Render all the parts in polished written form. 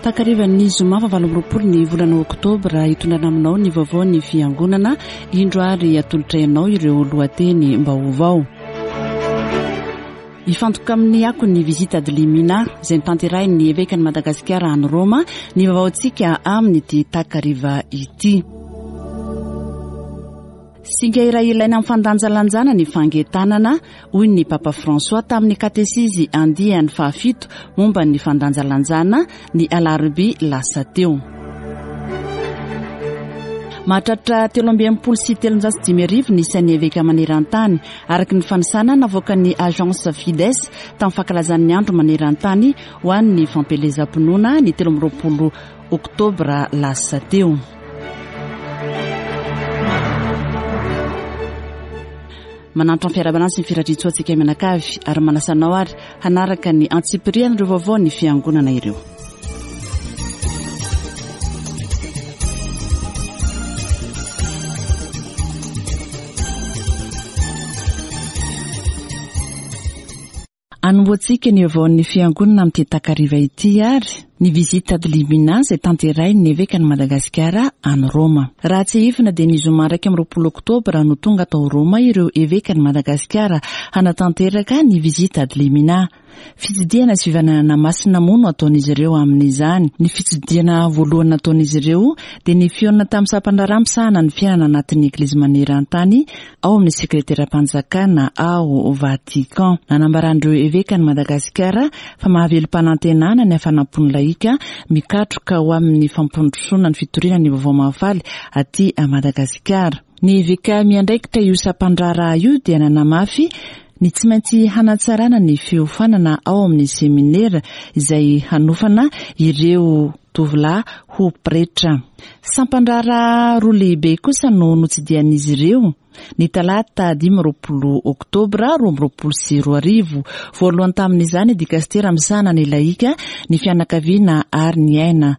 Takarivan'ny zoma faha 28 ny volana oktobra hitondrana aminao ny vaovaon'ny fiangonana, indro ary atolotray anao ireo lohateny mbaovao. Hifantoka amin'ny akon'ny Visita ad Limina izay notanterahin'ny Evekan'i Madagasikara any Roma ny vaovaontsika amin'ity takariva ity. Singa iray ilaina amin'ny fandanjalanjana ny fangetanana, hoy ny Papa François tamin'ny katesizy andiany fahafito momba ny fandanjalanjana ny alarobia lasa teo. Mahatratra 363 ny isan'ny eveka maneran-tany, araka ny fanisana navoakan'ny Agence Fides tamin'ny fankalazan'ny andro maneran-tany ho an'ny fampielezam-pinoana ny 23 oktobra lasa teo. Manantitra ny fiarahabana sy ny firariantsoa antsika mianakavy ary manasa anao ary hanaraka ny antsipirian'ireo vaovao ny fiangonana ireo. Anombohantsika ny vaovaon'ny Fiangonana amin'ity takariva ity ary ny Visite ad limina izay tanterahin'ny Evekan'i Madagasikara any Roma. Raha tsiahivina dia ny zoma 21 oktobra no tonga tao Roma ireo Evekan'i Madagasikara hanatanteraka ny Visite ad limina. Fitsidihana sy fivananana masina moa no ataon'izy ireo amin'izany. Ny fitsidihana voalohany nataon'izy ireo dia ny fihaonana tamin'ny sampan-draharaha misahana ny fiainana anatin'ny Eglizy maneran-tany ao amin'ny sekreteram-panjakana ao Vatican. Nanambaran'ireo evekan'i Madagasikara fa mahavelom-panantenana ny hafanam-pon'ny lahika mikatroka ho amin'ny fampandrosoana ny fitoriana ny vaovao mahafaly aty Madagasikara. Ny eveka miandraikitra io sampan-draharaha io dia nanamafy ny tsy maintsy hanatsarana ny fiofanana ao amin'ny seminera izay hanofana ireo tovolahy ho pretra. Sampan-draharaha roa lehibe kosa no notsidihan'izy ireo ny talata 25 oktobra 2022. Voalohany tamin'izany dikastera misahana ny lahika, ny fianakaviana ary ny aina.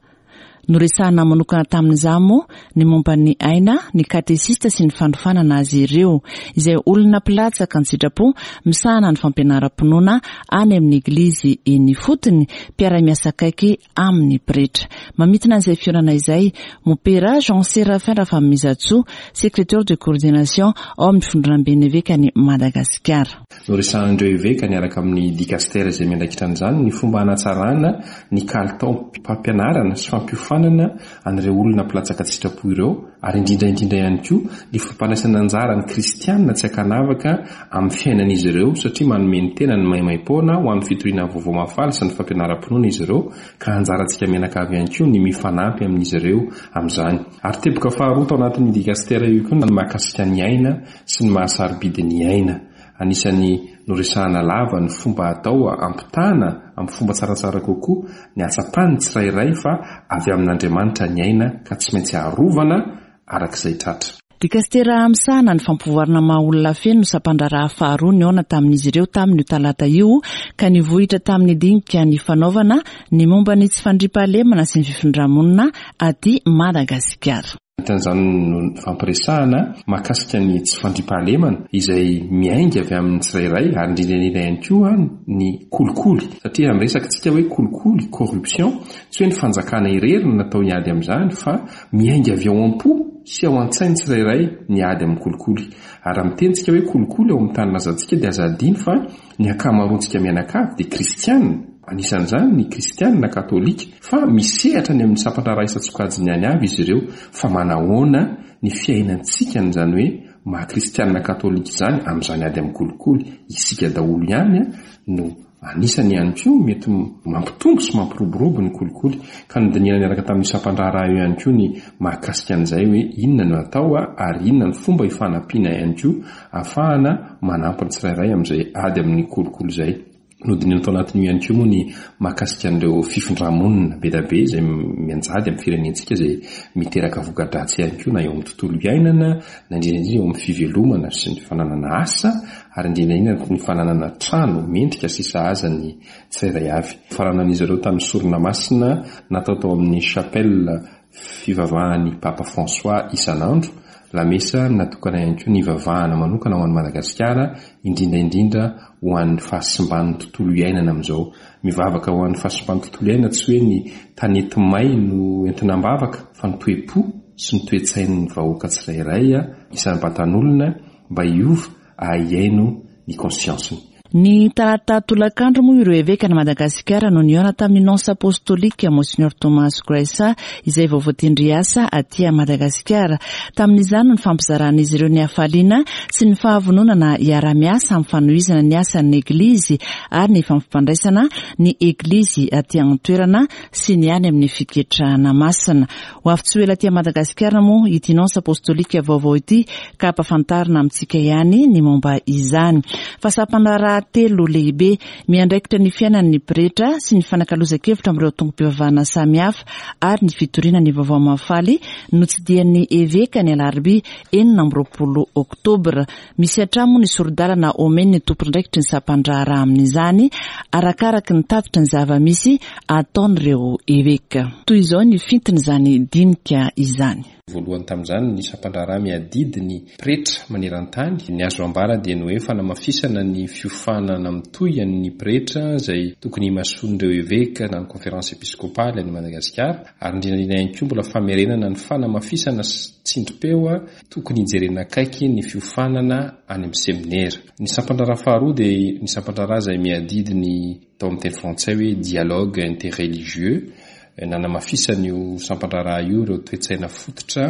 Noresahana manokana tamin'izany moa ny momba ny aina, ny katesista sy ny fanofanana azy ireo, izay olona mpilatsaka an-tsitrapo misahana ny fampianaram-pinoana any amin'ny Eglizy eny ifotony, mpiara-miasa akaiky amin'ny pretra. Mamintina an'izay fihaonana izay, Mompera Jean Séraphin Rafanomezantsoa, Secrétaire de coordination ao amin'ny Fondronamben'ny Evekan'i Madagasikara. Noresahan'ireo eveka niaraka amin'ny dikastera izay miandraikitra an'izany ny fomba hanatsarana ny kalitaom-pampianarana sy fampiofanana an'ireo olona mpilatsaka an-tsitrapo ireo ary indrindra indrindra ihany koa ny fampandraisana anjara ny kristiana tsy ankanavaka amin'ny fiainan'izy ireo satria manome ny tenany maimaim-poana ho amin'ny fitoriana ny vaovao mahafaly sy ny fampianaram-pinoana izy ireo ka anjarantsika mianakavy ihany koa ny mifanampy amin'izy ireo amin'izany. Ary teboka faharoa tao anatin'io dikastera io koa ny mahakasika ny aina sy ny maha sarobidy ny aina. Anisan'ny noresahana lava ny fomba atao hampitana amin'ny fomba tsaratsara kokoa ny hahatsapan'ny tsirairay fa avy amin'Andriamanitra ny aina ka tsy maintsy arovana araka izay tratra. Dikastera misahana ny fampivoarana maha olona feno no sampandraharaha faharoa nihaona tamin'izy ireo tamin'io talata io ka nivohitra tamin'ny dinika nifanaovana ny momba ny tsy fandriampahalemana sy ny fifindra-monina aty Madagasikara. Anatin'izany no nifampiresahana mahakasika ny tsy fandriampahalemana izay miainga avy amin'ny tsirairay ary indrindra indrindra ihany koa ny kolikoly satria raha miresaka isika hoe kolikoly, corruption, tsy hoe ny fanjakana irery no natao hiady amin'izany fa miainga avy ao am-po sy ao an-tsain'ny tsirairay ny ady amin'ny kolikoly. Ary raha miteny isika hoe kolikoly ao amin'ny tanindrazantsika dia aza adino fa Ny ankamaroantsika mianakavy dia kristiana, anisan'izany ny kristiana katolika, fa misehatra any amin'ny sampan-draharaha isan-tsokajiny any avy izy ireo, fa manahoana ny fiainantsika an'izany hoe maha kristiana katolika izany amin'izany ady amin'ny kolikoly, isika daholo ihany no anisany ihany koa mety mampitombo sy mampiroborobo ny kolikoly, ka nodinihana niaraka tamin'io sampan-draharaha io ihany koa ny mahakasika an'izay hoe inona no atao ary inona ny fomba hifanampiana ihany koa Ahafahana manampy ny tsirairay amin'izay ady amin'ny kolikoly izay. Nodinihina tao anatin'io ihany koa moa ny mahakasika an'ireo fifindra-monina be dia be izay mianjady amin'ny firenentsika izay miteraka voka-dratsy ihany koa na eo amin'ny tontolo iainana na indrindra indrindra eo amin'ny fivelomana sy ny fananana asa ary indrindra indrindra ny fananana trano mendrika sy sahaza ny tsirairay avy. Faranan'izy ireo tamin'ny sorona masina natao tao amin'ny chapelle fivavahan'ny Papa François isan'andro. Lamesa natokana ihany koa nivavahana manokana ho an'i Madagasikara, indrindra indrindra ho an'ny fahasimban'ny tontolo iainana amin'izao. Mivavaka ho an'ny fahasimban'ny tontolo iainana tsy hoe ny tanety may no entina am-bavaka fa ny toe-po sy ny toe-tsain'ny vahoaka tsirairay isam-batan'olona mba hiova ary hihaino ny conscience-ny. Ny talata tolakandro moa ireo evekan'i Madagasikara no nihaona tamin'ny Nonce Apostolique Monsignor Thomas Graissa izay vao voatendry hiasa aty Madagasikara. Tamin'izany no nifampizaran'izy ireo ny hafaliana sy ny fahavononana hiara-miasa amin'ny fanohizana ny asan'ny Eglizy ary ny fampifandraisana ny Eglizy aty an-toerana sy ny any amin'ny fiketrahana masina. Ho avy tsy ho ela aty Madagasikara moa ity Nonce Apostolique vaovao ity ka hampafantarina amintsika ihany ny momba izany. Fa sampandraharaha telo lehibe miandraikitra ny fiainan'ny pretra sy ny fanakalozan-kevitra amin'ireo tongom-pivavahana samihafa ary ny fitoriana ny vaovao mahafaly notsidihan'ny eveka ny alarobia 26 oktobra. Misy hatrany moa ny sori-dalana omen'ny tompon'andraikitry ny sampan-draharaha amin'izany, arakaraky ny tatitry ny zava-misy ataon'ireo eveka. Toy izao ny fintin'izany dinika izany. Voalohany tamin'izany ny sampan-draharaha miadidy ny pretra maneran-tany. Ny azo ambara dia ny hoe fanamafisana ny fiofanana mitohy an'ny pretra izay tokony himasoan'ireo eveka na ny Conférence Episcopale any Madagasikara ary indrindra indrindra ihany koa mbola famerenana ny fanamafisana sy tsindrim-peo Tokony hijerena akaiky ny fiofanana any amin'ny seminera. Ny sampan-draharaha faharoa dia ny sampan-draharaha izay miadidy ny atao amin'ny teny frantsay hoe dialogue interreligieux. Nanamafisan'io sampan-draharaha io ireo toe-tsaina fototra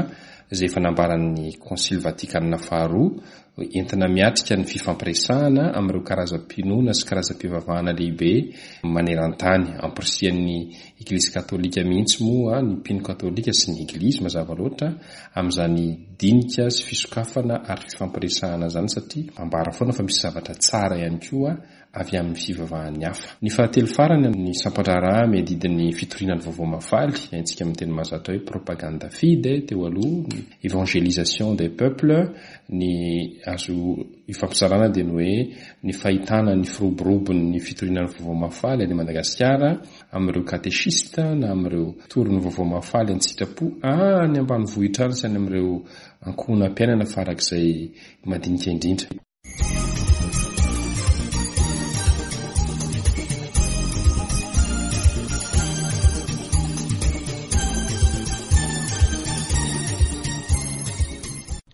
izay efa nambaran'ny Konsily Vatikanina faharoa entina miatrika ny fifampiresahana amin'ireo karazam-pinoana sy karazam-pivavahana lehibe maneran-tany. Ampirisihan'ny Eglizy katolika mihitsy moa ny mpino katolika sy ny Eglizy mazava loatra amin'izany dinika sy fisokafana ary fifampiresahana izany satria ambara foana fa misy zavatra tsara ihany koa avy amin'ny fivavahan'ny hafa. Ny fahatelo farany amin'ny sampan-draharaha miadidy ny fitoriana ny vaovao mahafaly, haintsika amin'ny teny mahazatra hoe propaganda fide teo aloha, ny évangélisation des peuples, ny azo ifampizarana dia ny hoe ny fahitana ny firoborobon'ny fitoriana ny vaovao mahafaly any Madagasikara, amin'ireo katechiste na amin'ireo mpitory ny vaovao mahafaly an-tsitrapo any ambanivohitra any sy any amin'ireo ankohonam-piainana farak'izay madinika indrindra.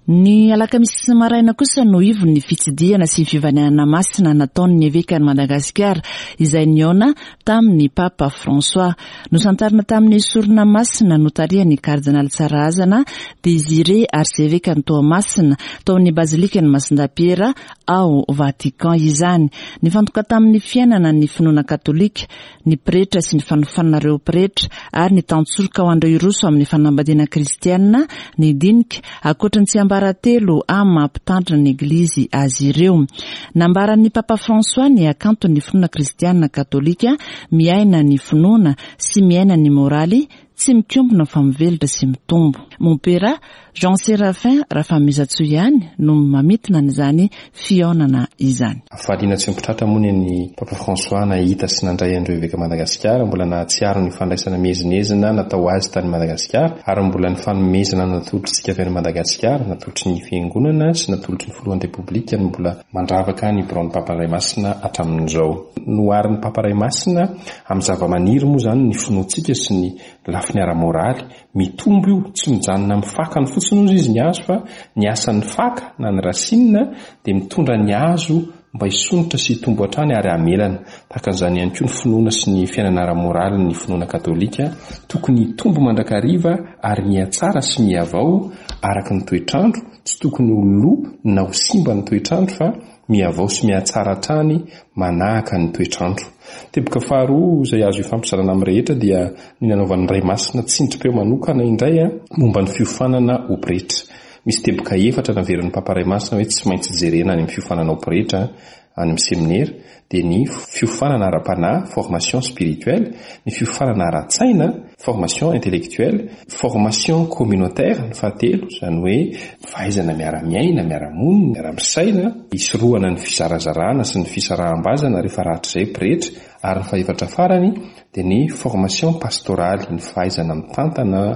Ny alakamisy maraina kosa no ivon'ny fitsidihana sy fivanihana masina nataon'ny evekan'i Madagasikara izay nihaona tamin'ny Papa François. Nosantarina tamin'ny sorona masina notarihan'ny Kardinaly Tsarahazana Désiré Arsevekan'i Toamasina tao amin'ny Bazilikan'i Masindahy Piera ao Vatican izany. Nifantoka tamin'ny fiainana ny finoana katolika, ny pretra sy ny fanofanana ireo pretra ary ny tantsoroka ho an'ireo hiroso amin'ny fanambadiana kristiana ny dinika, ankoatra ny tsiambaratelo amin'ny maha mpitandrina ny Eglizy azy ireo. Nambaran'ny Papa François ny hakanton'ny finoana kristiana katolika, miaina ny finoana sy miaina ny moraly, tsy mikombona fa mivelatra sy mitombo. Mompera Jean Séraphin Rafanomezantsoa ihany no mamintina an'izany fihaonana izany. Hafaliana tsy omby tratra moa ny an'i Papa François nahita sy nandray an'ireo Eveka Madagasikara, mbola nahatsiaro ny fandraisana miezinezina natao azy tany Madagasikara ary mbola ny fanomezana natolotr'isika avy any Madagasikara, natolotry ny Fiangonana sy natolotry ny Filohan'ny Repoblika no mbola mandravaka ny biraon'ny Papa Ray Masina hatramin'izao. Noharin'ny Papa Ray Masina amin'ny zavamaniry moa izany ny finoantsika sy ny lafiny ara-moraly. Mitombo io, tsy mijanona amin'ny fakany fotsiny hozy izy ny hazo fa ny asan'ny faka na ny racine dia mitondra ny hazo mba hisondrotra sy hitombo hatrany ary hamelana. Tahaka an'izany ihany koa ny finoana sy ny fiainana ara-moraly ny finoana katolika, tokony hitombo mandrakariva ary mihatsara sy mihavao araka ny toetr'andro, tsy tokony ho lo na ho simba ny toetr'andro fa mihavao sy mihatsara hatrany manahaka ny toetr'andro. Teboka faharoa izay azo ifampizarana amin'ny rehetra dia ny nanaovan'ny Ray Masina tsindrim-peo manokana indray momba ny fiofanana ho pretra. Misy teboka efatra naverin'ny Papa Ray Masina hoe tsy maintsy jerena any amin'ny fiofanana ho pretra. any amin'ny seminera dia ny fiofanana ara-panahy, formation spirituelle, ny fiofanana ara-tsaina, formation intellectuelle, formation communautaire ny fahatelo, izany hoe fahaizana miara-miaina, miara-monina, miara-misaina, hisorohana ny fizarazarana sy ny fisaraham-bazana rehefa rahatrizay pretra, ary ny fahefatra farany dia ny formation pastorale, ny fahaizana mitantana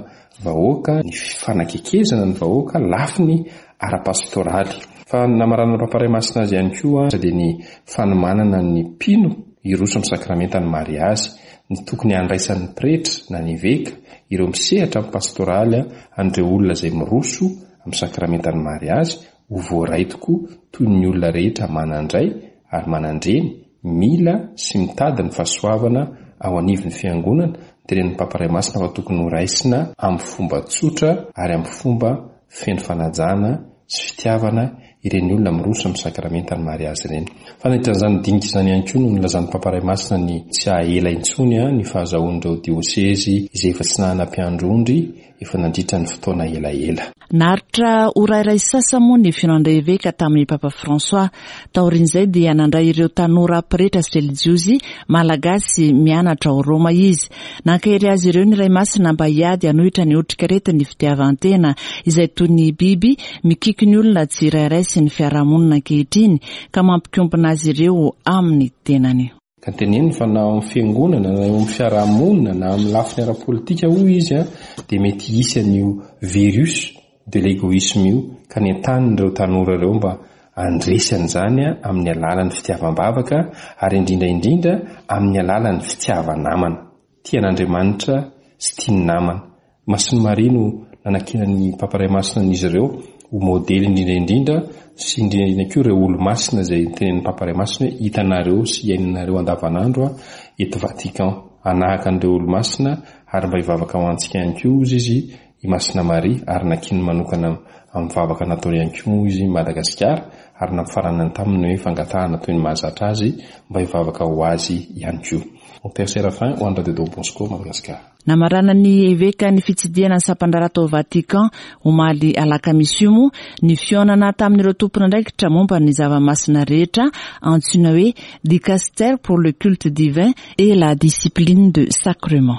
vahoaka, ny fanakekezana ny vahoaka, lafiny ara-pastoraly. Fa ny namaranan'ny Papa Ray Masina azy ihany koa dia ny fanomanana ny mpino hiroso amin'ny sakramentan'ny mariazy, ny tokony handraisan'ny pretra na ny eveka, ireo misehatra amin'ny pastoraly an'ireo olona izay miroso amin'ny sakramentan'ny mariazy ho voaray tokoa toy ny olona rehetra manan-dray ary manan-dreny mila sy mitady ny fahasoavana ao anivon'ny Fiangonana, notenenin'ny Papa Ray Masina fa tokony ho raisina amin'ny fomba tsotra ary amin'ny fomba feno fanajana sy fitiavana ireny olona miroso amin'ny sakramentan'ny mariazy ireny. Fa nandritra an'izany dinika izany ihany koa no nilazan'ny Papa Ray Masina ny tsy haha-ela intsony ny fahazahoan'ireo diosezy izay efa tsy nanana mpiandry ondry efa nandritra ny fotoana elaela. Naharitra ora iray sasa moa ny fihaonan-dRaeveka tamin'ny Papa François. Taorian'izay dia nandray ireo tanora pretra sy relijiozy malagasy mianatra ao Roma izy. Nankahery azy ireo ny Ray Masina mba hiady hanohitra ny otrikaretin'ny fitiavan-tena izay toy ny biby mikiky ny olona tsirairay sy ny fiarahamonina ankehitriny ka mampikombona azy ireo amin'ny tenany. Ka teneniny fa na ao amin'ny fiangonana na eo amin'ny fiarahamonina na amin'ny lafiny ara-politika hoy izy dia mety hisy an'io virus de l'egoisme io ka nentaniny ireo tanora ireo mba handresy an'izany amin'ny alalan'ny fitiavam-bavaka ary indrindra indrindra amin'ny alalan'ny fitiava-namana. Tia an'Andriamanitra sy tia ny namana. Masin'i Maria no nanankinan'ny Papa Ray Masina an'izy ireo ho modely indrindra indrindra sy indrindra indrindra koa ireo olomasina izay notenenin'ny Papa Ray Masina hoe hitanareo sy iainanareo andavanandro eto Vatican. Hanahaka an'ireo olomasina ary mba hivavaka ho antsika ihany koa hozy izy i Masina Maria ary nankininy manokana amin'ny vavaka nataony ihany koa moa izy Madagasikara ary nampifaranany taminy hoe fangatahana toy ny mahazatra azy mba hivavaka ho azy ihany koa. Mon Père Séraphin ho an'ny Radio Don Bosco Madagasikara. Namaranan'ny Eveka ny fitsidihana ny sampan-draharaha tao Vatican omaly alakamisy io moa ny fihaonana tamin'ireo tompon'andraikitra momba ny zava-masina rehetra antsoina hoe Dicastère pour le culte divin et la discipline de sacrement.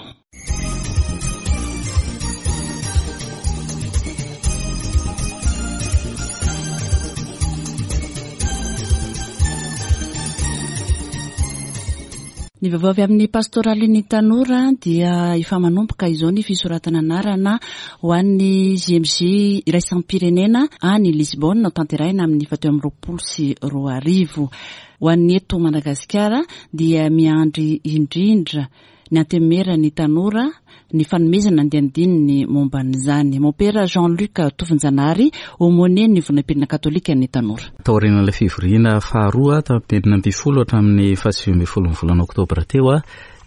Ny vaovao avy amin'ny pastoralin'ny tanora dia efa manomboka izao ny fisoratana anarana ho an'ny JMJ iraisam-pirenena any Lisbonne hotanterahina amin'ny 2024. Ho an'ny eto Madagasikara dia miandry indrindra ny antenimieran'ny tanora ny fanomezana andianidininy momba an'izany. Mompera Jean Luc Tovonjanahary, Aumônier-n'ny Vonam-pirenena Katôlikan'ny Tanora. Taorian'ilay fivoriana faharoa tamin'ny 16 hatramin'ny faha-19 ny volana oktobra teo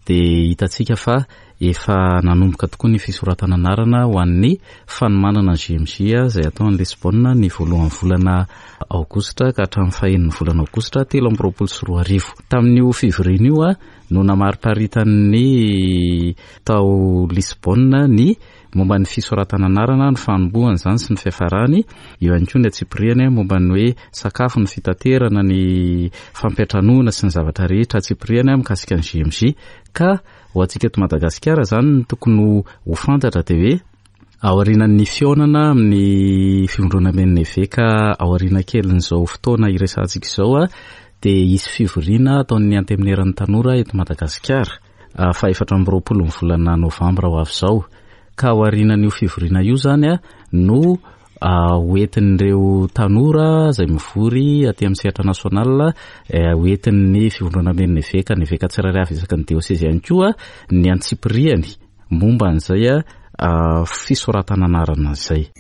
dia hitantsika fa efa nanomboka tokoa ny fisoratana anarana ho an'ny fanomanana ny JMJ izay atao any Lisbonne ny voalohan'ny volana aogositra ka hatramin'ny fahenin'ny volana aogositra 2023. Tamin'io fivoriana io no namariparitan'ny tao Lisbonne ny momba ny fisoratana anarana, ny fanombohana izany sy ny fiafarany, eo ihany koa ny antsipiriany momba ny hoe sakafo, ny fitaterana, ny fampiantranoana sy ny zavatra rehetra antsipiriany mikasika ny JMJ. Ka ho antsika eto Madagasikara izany ny tokony ho fantatra dia hoe Aorianan'ny fihaonana amin'ny fivondronamben'ny eveka aoriana kelin'izao fotoana iresahantsika izao dia hisy fivoriana ataon'ny Antenimieran'ny tanora eto Madagasikara faha-24 ny volana novambra ho avy izao. Ka aorianan'io fivoriana io izany no hoentin'ireo tanora izay mivory aty amin'ny sehatra national, hoentin'ny fivondronamben'ny eveka, ny eveka tsirairay avy isaky ny diosezy ihany koa ny antsipiriany. momba an'izay fisoratana anarana izay.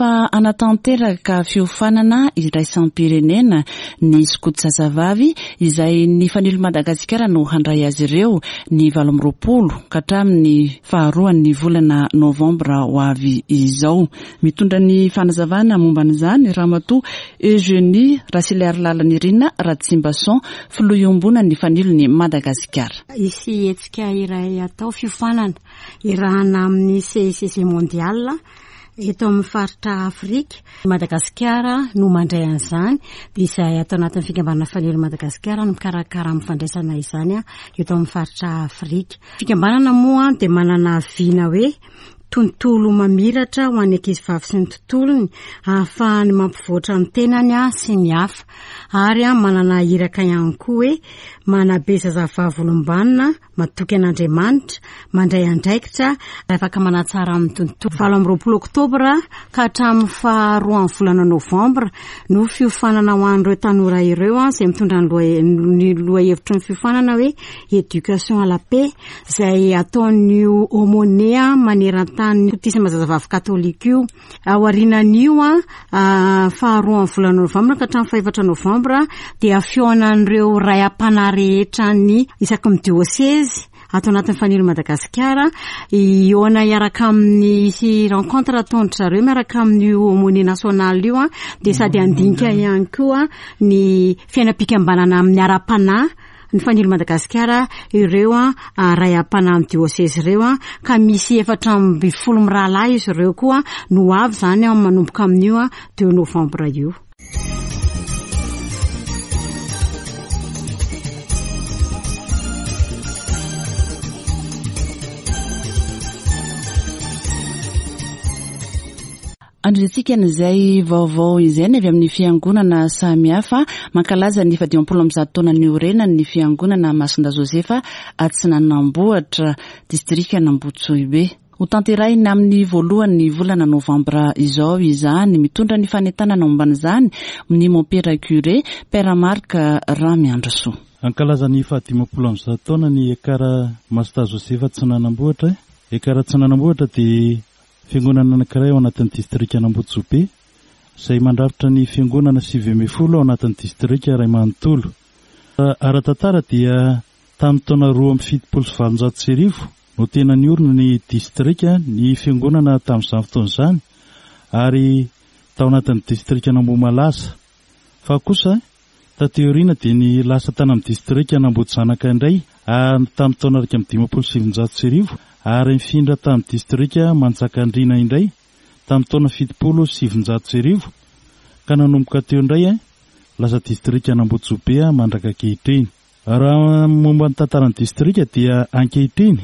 fa hanatanteraka fiofanana iraisam-pirenena ny skoto zazavavy izay ny Fanilo Madagasikara no handray azy ireo ny 28 ka hatramin'ny faharoan'ny volana novambra ho avy izao. Mitondra ny fanazavana momba an'izany Ramatoa Eugenie Rasiliarilalanirina Ratsimbason, filoha iombonan'ny Fanilon'i Madagasikara. Hisy hetsika iray hatao, fiofanana iarahana amin'ny CICG Mondial eto amin'ny faritra Afrika. Madagasikara no mandray an'izany, dia izahay ato anatin'ny fikambanana Fanilo Madagasikara no mikarakara amin'ny fandraisana izany eto amin'ny faritra Afrika. Fikambanana moa dia manana vina hoe Tontolo mamiratra ho an'ny ankizivavy sy ny tontolony, ahafahany mampivoatra ny tenany sy ny hafa. Ary manana iraka ihany koa hoe manabe zazavavy olom-banona, matoky an'Andriamanitra, mandray andraikitra, ary afaka manatsara ny tontolo. 28 oktobra ka hatramin'ny faharoan'ny volana novambra no fiofanana ho an'ireo tanora ireo, izay mitondra ny lohahevitry ny fiofanana hoe Éducation à la paix. izay ataon'io aumônier maneran-tany Kotisma zazavavy katolika io. Aorianan'io, faharoan'ny volana novambra ka hatramin'ny fahefatra novambra dia fihaonan'ireo ray am-panahy rehetra ny isaky ny diosezy ato anatin'ny Fanilo Madagasikara hihaona hiaraka amin'ny hisy rencontre ataon-dry zareo miaraka amin'io aumônier national io dia sady handinika ihany koa ny fiainam-pikambanana amin'ny ara-panahy ny Fanilo Madagasikara ireo ray am-panahin'ny diosezy ireo ka misy 14 mirahalahy izy ireo koa no ho avy izany manomboka amin'io deux novembre io. Andriantsika an'izay vaovao izay ny avy amin'ny fiangonana samihafa mankalaza ny 150 taona niorenany ny fiangonana Masindahy Josefa Atsinanambohitra, distrikan'Ambohitsohibe. Ho tanterahina amin'ny voalohan'ny volana novambra izao izany. Mitondra ny fanentanana momba an'izany ny mompera curé, Père Marc Ramiandrisoa. Hankalaza ny fahadimampolo amby zato taona ny Ekar Masindahy Josefa Atsinanambohitra. Ekar Atsinanambohitra dia Fiangonana anankiray ao anatin'ny distrikan'Ambodisobe, izay mandrafitra ny fiangonana 19 ao anatin'ny distrika iray manontolo. Ara-tantara dia tamin'ny taona 1872 no tena niorina ny distrika ny fiangonana tamin'izany fotoana izany ary tao anatin'ny distrikan'Ambohimalaza. Fa kosa Taty aoriana dia ny lasa tany amin'ny distrikan'Ambohijanaka indray tamin'ny taona 1951 ary nifindra tamin'ny distrika Manjakandriana indray tamin'ny taona 1970 ka nanomboka teo indray lasa distrikan'Ambotsobe mandraka ankehitriny. Raha momba ny tantaran'ny distrika dia ankehitriny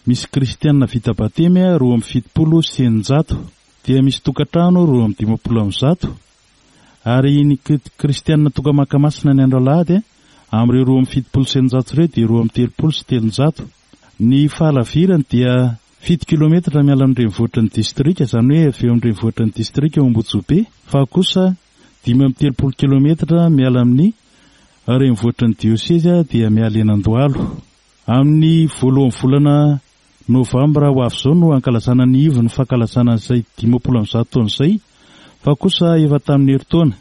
misy kristiana vita batemy 672 dia misy tokantrano 152 Ary ny kristiana tonga maka masina ny andro alahady, amin'ireo 672 ireo dia 332. Ny fahalavirany dia fito kilometatra miala amin'ny renivohitry ny distrika, izany hoe avy eo amin'ny renivohitry ny distrika eo Ambotsobe, fa kosa 35 kilometatra miala amin'ny renivohitry ny diosezy dia miala eny Andohalo. Amin'ny voalohan'ny volana Novambra ho avy izao no hankalazana ny ivon'ny fankalazana an'izay 150 taona izay, fa kosa efa tamin'ny herintaona,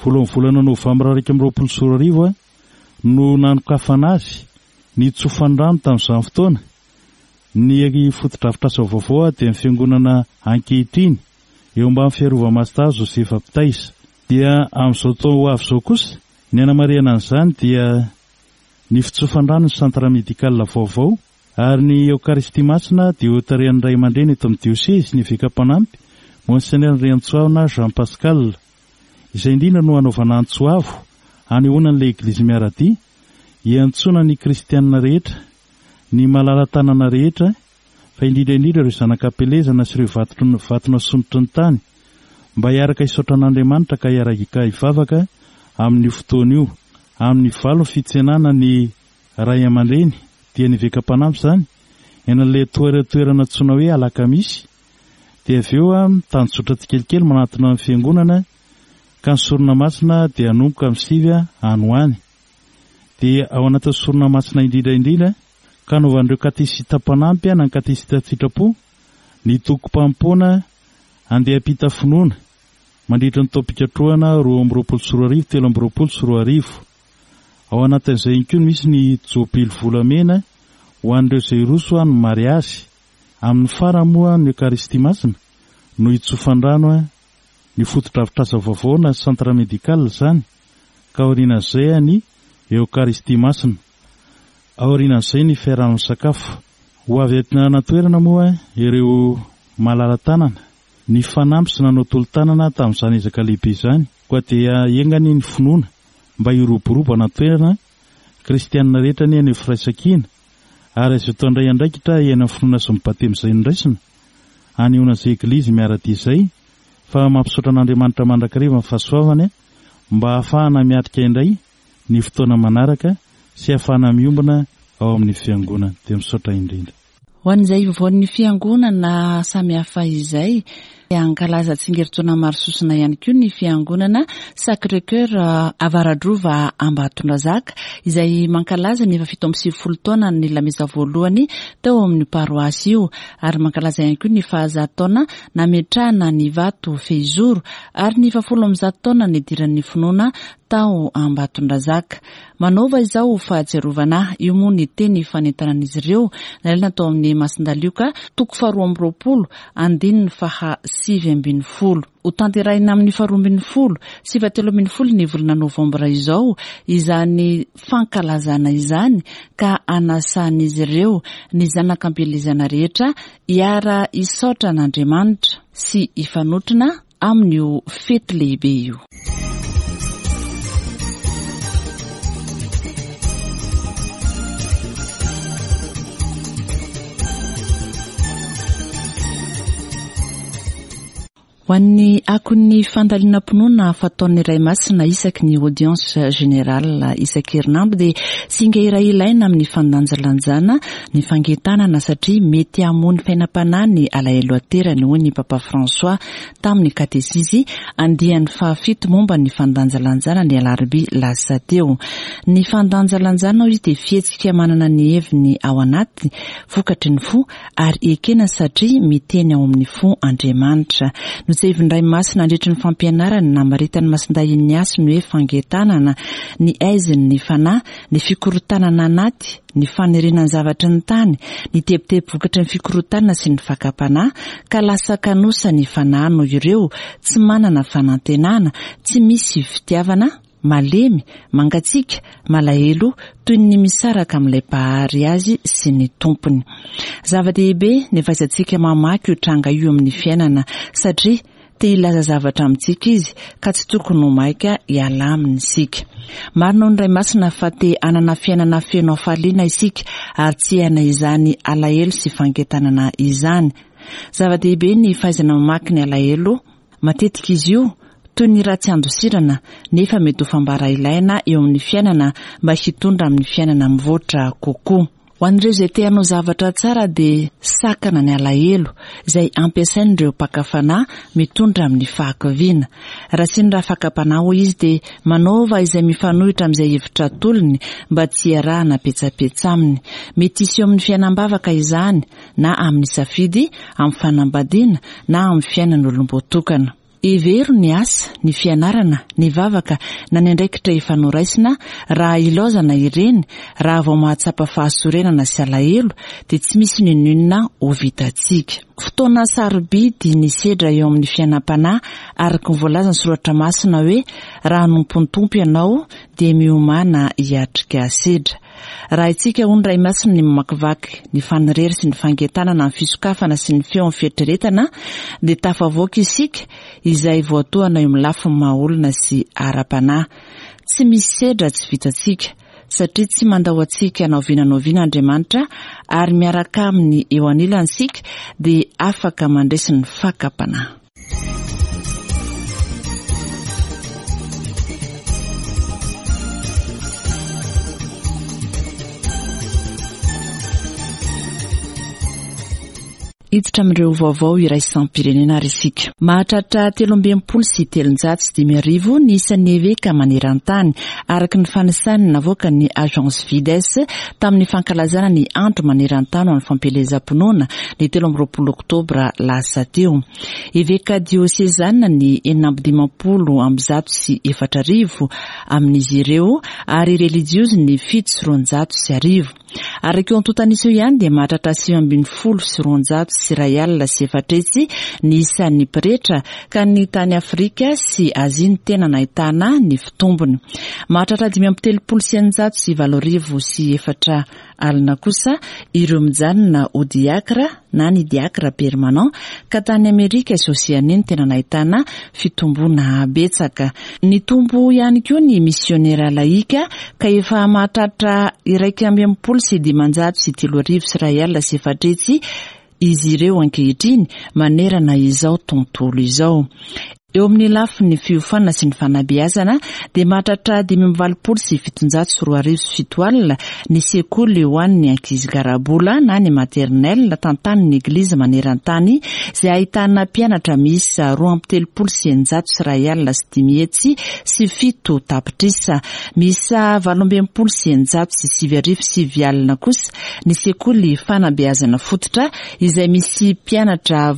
voalohan'ny volana novambra 2021, no nanokafana azy, nitsofan-drano tamin'izany fotoana, ny fotodrafitrasa vaovao dia ny fiangonana ankehitriny, eo ambany fiarova-masitahy Josefa Mpitaiza. Dia amin'izao taona ho avy izao kosa, ny hanamarihana an'izany dia ny fitsofan-drano ny Centre Médical vaovao, Ary ny Eokaristia Masina dia ho tarihan'ny Ray aman-dreny eto amin'ny Diosezy, ny Eveka Mpanampy, Monseigneur Andriantsoavina Jean Pascal. Izay indrindra no hanaovana antso avo, hanehoana an'ilay Eglizy miara-dia, hiantsoana ny kristianina rehetra, ny malala-tanana rehetra, fa indrindra indrindra ireo zanak'Ampielezana sy ireo vato nasondrotry ny tany, mba hiaraka hisaotra an'Andriamanitra ka hiaraka hivavaka amin'io fotoana io, amin'ny valo ny fitsenana ny Ray aman-dreny, dia ny eveka mpanampy izany, eny amin'ilay toerana antsoina hoe Alakamisy, dia avy eo mitanjozotra tsikelikely manatona ny fiangonana, ka ny sorona masina dia hanomboka amin'ny sivy any ho any. Dia ao anatin'ny sorona masina indrindra indrindra, ka hanaovan'ireo katesista mpanampy na ny katesista an-tsitrapo, ny tokim-panompoana. Andeha hampita finoana mandritra ny taom-pikatrohana 2022 2023. Ao anatin'izay ihany koa no misy ny jobily volamena ho an'ireo izay hiroso amin'ny mariazy. Amin'ny farany moa ny Eokaristia Masina no hitsofan-drano ny fotodrafitrasa vaovao na centre médical izany ka aorianan'izay ny Eokaristia Masina. Aorianan'izay ny fiaraha-misakafo. Ho avy aty an-toerana moa ireo malala-tanana nifanampy sy nanao tolo-tanana tamin'izany ezaka lehibe izany, koa dia enga anie ny finoana mba hiroborobo an-toerana, kristianina rehetra anie haneho firaisankina ary azo atao indray andraikitra hiaina ny finoana sy ny batemy izay noraisina, hanehoana izay Eglizy miara-dia izay fa mampisaotra an'Andriamanitra mandrakariva ny fahasoavany mba hahafahana miatrika indray ny fotoana manaraka sy hahafahana miombona ao amin'ny Fiangonana. Dia misaotra indrindra. Ho an'izay ivoan'ny Fiangonana samihafa izay, hankalaza tsingerin-taona maro sosona ihany koa ny Fiangonana Sacré Coeur Avaradrova Ambatondrazaka, izay mankalaza ny efa 97 taona ny lamesa voalohany tao amin'io paroasy io, ary mankalaza ihany koa ny fahazato taona nametrahana ny vato fehizoro, ary ny fahafolo ambizato taona nidiran'ny finoana tao Ambatondrazaka. Manaova izao ho fahatsiarovana ahy. Io moa ny teny fanentanan'izy ireo nalaina tao amin'ny Masindahy Lioka, toko faharoa amby roapolo, andininy faha 19. Hotanterahina amin'ny faharoa ambin'ny folo sy fahatelo ambin'ny folo ny volana novambra izao izany fankalazana izany ka anasan'izy ireo ny zanak'ampielezana rehetra hiara-hisaotra an'Andriamanitra sy hifanotrona amin'io fety lehibe io. Ho an'ny akon'ny fandalinam-pinoana fataon'ny Ray Masina isaky ny audience générale isan-kerinandro dia singa iray ilaina amin'ny fandanjalanjana ny fangentanana satria mety hamono fiainam-panahy ny alahelo aterany hoy ny Papa François tamin'ny katesizy andiany fahafito momba ny fandanjalanjana ny alarobia lasa teo. Ny fandanjalanjana hoy izy dia fihetsika manana ny heviny ao anaty, vokatry ny fo, ary ekena satria miteny ao amin'ny fo Andriamanitra. Notsevin'ny Ray Masina nandritry ny fampianarany namaritan'i Masindahy Ignace ny hoe fangentanana, ny aizin'ny fanahy, ny fikorontanana anaty, ny faniriana ny zavatry ny tany, ny tebiteby vokatry ny fikorontanana sy ny fakam-panahy, ka lasa kanosa ny fanahy noho ireo, tsy manana fanantenana, tsy misy fitiavana, malemy, mangatsiaka, malahelo, toy ny misaraka amin'ilay Mpahary azy sy ny Tompony. Zava-dehibe ny fahaizantsika mamaky io tranga io amin'ny fiainana, satria Te hilaza zavatra amintsika izy ka tsy tokony ho maika hiala aminy isika. Marina ho ny Ray Masina fa te hanana fiainana feno hafaliana isika ary tsy hiaina izany alahelo sy fanentanana izany. Zava-dehibe ny fahaizana mamaky ny alahelo, matetika izy io toy ny ratsy andosirana nefa mety ho fambara ilaina eo amin'ny fiainana mba hitondra amin'ny fiainana mivoatra kokoa. Ho an'ireo izay te hanao zavatra tsara dia sakana ny alahelo izay ampiasain'ireo mpaka fanahy mitondra amin'ny fahakiviana. Raha sendra fakam-panahy hoy izy dia manaova izay mifanohitra amin'izay hevitra atolony mba tsy hiarahana petsapetsa aminy. Mety hiseho amin'ny fiainam-bavaka izany na amin'ny safidy amin'ny fanambadiana na amin'ny fiainan'olom-boatokana. Hevero ny asa, ny fianarana, ny vavaka na ny andraikitra efa noraisina, raha ilaozana ireny, raha vao mahatsapa fahasorenana sy alahelo, dia tsy misy n'inon'inona ho vitantsika. Fotoana sarobidy ny sedra eo amin'ny fiainam-panahy, araka ny voalazan'ny Soratra Masina hoe, Raha hanompo ny Tompo ianao, dia miomàna hiatrika sedra. Raha haintsika, hoy ny Ray Masina, ny mamakivaky ny fanirery sy ny fangentanana amin'ny fisokafana sy ny feon'ny fieritreretana, dia tafavoaka isika, izay voatohana eo amin'ny lafiny maha-olona sy ara-panahy. Tsy misy sedra tsy vitantsika, satria tsy mandao antsika na oviana na oviana Andriamanitra, ary miaraka Aminy eo anilany isika, dia afaka mandresy ny fakam-panahy. Hiditra amin'ireo vaovao iraisam-pirenena ary isika. Mahatratra 363 ny isan'ny eveka maneran-tany, araka ny fanisany navoakan'ny Agence Fides tamin'ny fankalazana ny Andro maneran-tany ho an'ny fampielezam-pinoana, ny 23 oktobra lasa teo. Eveka diosezana ny 456 amin'izy ireo ary relijiozy ny 1207. Araka io antontan'isa io ihany dia mahatratra 419,400 ny isan'ny pretra ka ny tany Afrika sy Azia no tena nahitana ny fitombony. Mahatratra 435,804 kosa ireo mijanona ho diakra na ny diakra permanent ka tany Amerika sy Oseania no tena nahitana fitomboana betsaka. Nitombo ihany koa ny misionera lahika ka efa mahatratra 461,304 izy ireo ankehitriny manerana izao tontolo izao. Eo amin'ny lafiny fiofanana sy ny fanabeazana dia mahatratra 785,700 ny sekoly ho an'ny ankizy garabola na ny maternelle tantanin'ny Eglizy maneran-tany izay ahitana mpianatra miisa 632,507 tapitrisa. Miisa 668,909 kosa ny sekoly fanabeazana fototra izay misy mpianatra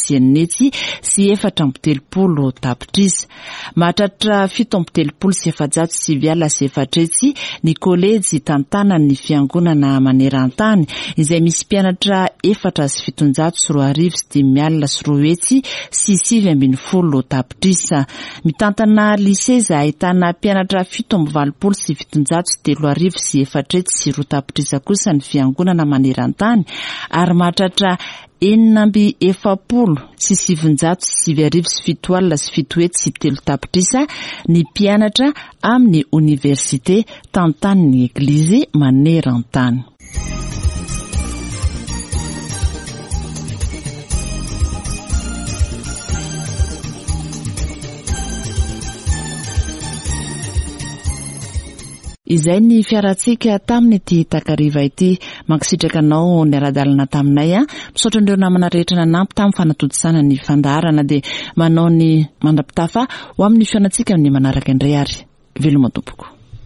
688,406 34 tapitrisa. Mahatratra 437,904 ny kolejy tantanan'ny fiangonana maneran-tany izay misy mpianatra 207,205,219 tapitrisa. Mitantana lycée izay ahitana mpianatra 487,304 tapitrisa kosa ny fiangonana maneran-tany ary mahatratra 946,909,703 tapitrisa ny mpianatra amin'ny oniversite tantanin'ny Eglizy maneran-tany. Izay ny fiarantsika tamin'ity takariva ity. Mankasitraka anao niara-dalana taminay. Misaotra an'ireo namana rehetra nanampy tamin'ny fanatontosana ny fandaharana. Dia manao ny mandra-pitafa ho amin'ny fihaonantsika amin'ny manaraka indray ary. Veloma tompoko.